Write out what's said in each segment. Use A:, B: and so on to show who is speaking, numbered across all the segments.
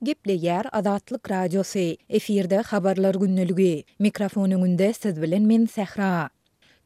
A: Gepleýär Azatlyk Radiosy, efirde Habarlar gündeligi. Mikrofon öňünde siz bilen men Sähra.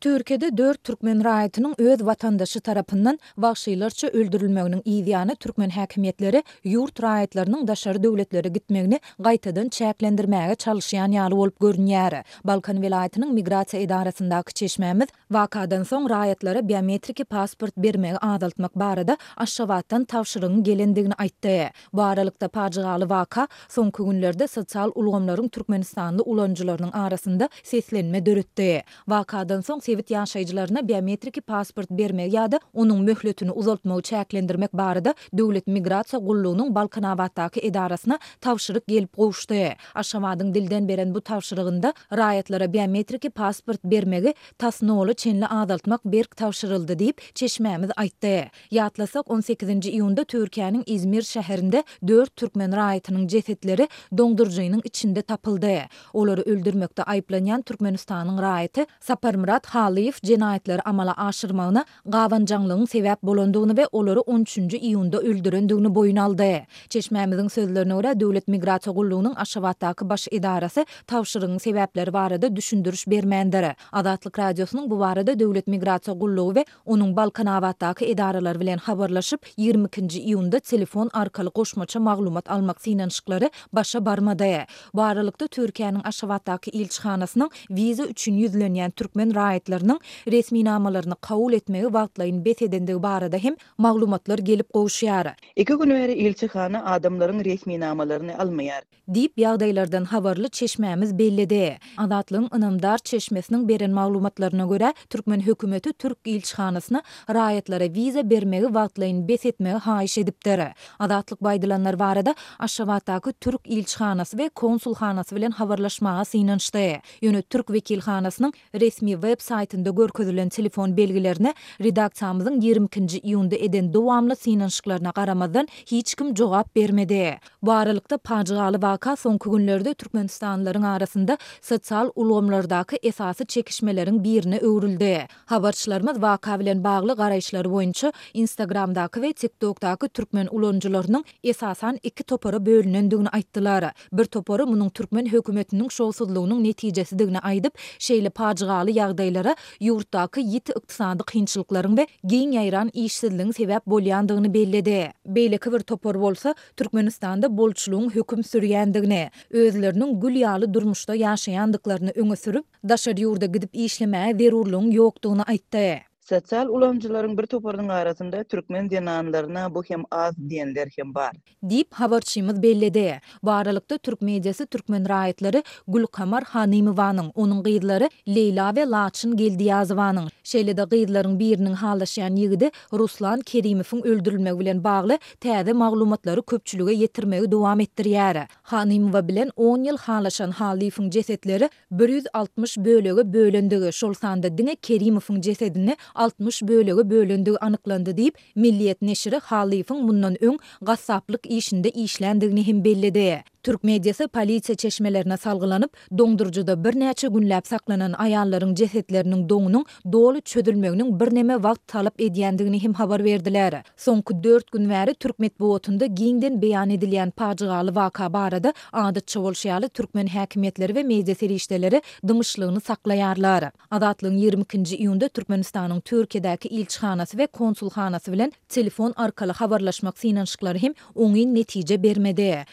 A: Türkiýede dört türkmen raýatynyň öz watandaşy tarapyndan wagşylarça öldürilmeginiň yzýany türkmen häkimiýetleri ýurt raýatlarynyň daşary döwletlere gitmegini gaýtadan çäklendirmäge çalyşýan ýaly bolup görünýär. Balkan welaýatynyň migrasiýa edarasyndaky çeşmämiz Wakadan soň raýatlara biometriki pasport bermegi azaltmak barada Aşgabatdan tabşyrygyň gelendigini aýtdy. Bu aralykda, pajygaly waka soňky günlerde sosial ulgamlaryň türkmenistanly ulanyjylarynyň arasynda seslenme döretdi. Wakadan soň sebit ýaşaýjylaryna biometriki pasport bermegi ýa-da onuň möhletini uzaltmagy çäklendirmek barada Döwlet migrasiýa gullugynyň Balkanabatdaky edarasyna tabşyryk gelip gowuşdy. Aşgabadyň dilden beren bu tabşyrygynda raýatlara biometriki pasport bermegi tas nola çenli azaltmak berk tabşyryldy diýip, çeşmämiz aýtdy. Ýatlasak, on sekizinji iýunda Türkiýäniň Izmir şäherinde dört türkmen raýatynyň jesetleri doňduryjynyň içinde tapyldy. Olary öldürmekde aýyplanýan Türkmenistanyň raýaty Saparmyrat Halyýew jenaýatlary amala aşyrmagyna gabanjaňlygyň sebäp bolandygyny we olary on üçünji iýunda öldürendigini boýun aldy. Çeşmämiziň sözlerine görä, Döwlet migrasiýa gullugynyň Aşgabatdaky baş edarasy tabşyrygyň sebäpleri barada düşündiriş bermändir. Azatlyk Radiosynyň bu barada Döwlet migrasiýa gullugy we onuň Balkanabatdaky edaralary bilen habarlaşyp, 22-nji iýunda telefon arkaly goşmaça maglumat almak synanyşyklary başa barmady. Bu aralykda, Türkiýäniň Aşgabatdaky ilçihanasynyň wiza üçin ýüzlenýän türkmen raýatlarynyň resminamalaryny kabul etmegi wagtlaýyn bes edendigi barada hem maglumatlar gelip gowuşýar.
B: Iki gün bäri ilçihana adamlaryň resminamalaryny almaýar.
A: Diýip, ýagdaýlardan habarly çeşmämiz belledi. Azatlygyň ynamdar çeşmesiniň beren maglumatlaryna görä, türkmen hökümeti türk ilçihanasyna raýatlara wiza bermegi wagtlaýyn bes etmegi haýyş edipdir. Azatlyk bu aýdylanlar barada Aşgabatdaky türk ilçihanasy we konsulhanasy bilen habarlaşmaga synanyşdy. Ýöne türk wekilhanasynyň resmi web saýtynda görkezilen telefon belgilerine redaksiýamyzyň 22-nji iýunda eden dowamly synanyşyklaryna garamazdan hiç kim jogap bermedi. Bu aralykda, pajygaly waka soňky günlerde türkmenistanlylaryň arasynda sosial ulgamlardaky esasy çekişmeleriň birine öwrüldi. Habarçylarymyz waka bilen bagly garaýyşlary boýunça Instagramdaky we TikTokdaky türkmen ulanyjylarynyň esasan iki topara bölünendigini aýtdylar. Bir topary munuň türkmen hökümetiniň şowsuzlygynyň netijesidigini aýdyp, şeýle pajygaly ýagdaýlara ýurtdaky ýiti ykdysady kynçylyklaryň we giň ýaýran işsizligiň sebäp bolýandygyny belledi. Beýleki bir topar bolsa, Türkmenistanda bolçulygyň höküm sürýändigini, özleriniň gül ýaly durmuşda ýaşaýandyklaryny öňe sürüp, daşary ýurda gidip işlemäge zerurlygyň ýokdugyny aýtdy.
B: Sosial ulanyjylaryň bir toparynyň arasynda türkmen zenanlaryna bu hem az diýenler hem bar.
A: Diýip, habarçymyz belledi. Bu aralykda, türk mediasy türkmen raýatlary Gülkamar Hanymowanyň, onuň gyzlary Leýla we Laçyn Geldiýazowanyň, şeýle-de gyzlaryň biriniň halaşýan ýigidi Ruslan Kerimowyň öldürilmegi bilen bagly täze maglumatlary köpçülige ýetirmegi dowam etdirýär. Hanymowa bilen on ýyl halaşan Hallyýewiň jesetleri 160 bölege bölendigi, şol sanda diňe Kerimowyň jesedini 60 bölege bölendigi anyklandy diýip, Milliýet neşiri Hallyýewiň mundan öň gassaplyk işinde işländigini hem belledi. Türk mediasy polisiýa çeşmelerine salgylanyp, doňduryjyda birnäçe günläp saklanan aýallaryň jesetleriniň doňunyň doly çözülmeginiň birneme wagt talap edýändigini hem habar berdiler. Soňky dört gün bäri türk metbugatynda giňden beýan edilýän pajygaly waka barada adatça bolşy ýaly türkmen häkimiýetleri we media serişdeleri dymyşlygyny saklaýarlar. Azatlygyň 22-nji iýunda Türkmenistanyň Türkiýedäki ilçihanasy we konsulhanasy bilen telefon arkaly habarlaşmak synanyşyklary hem oňyn netije bermedi.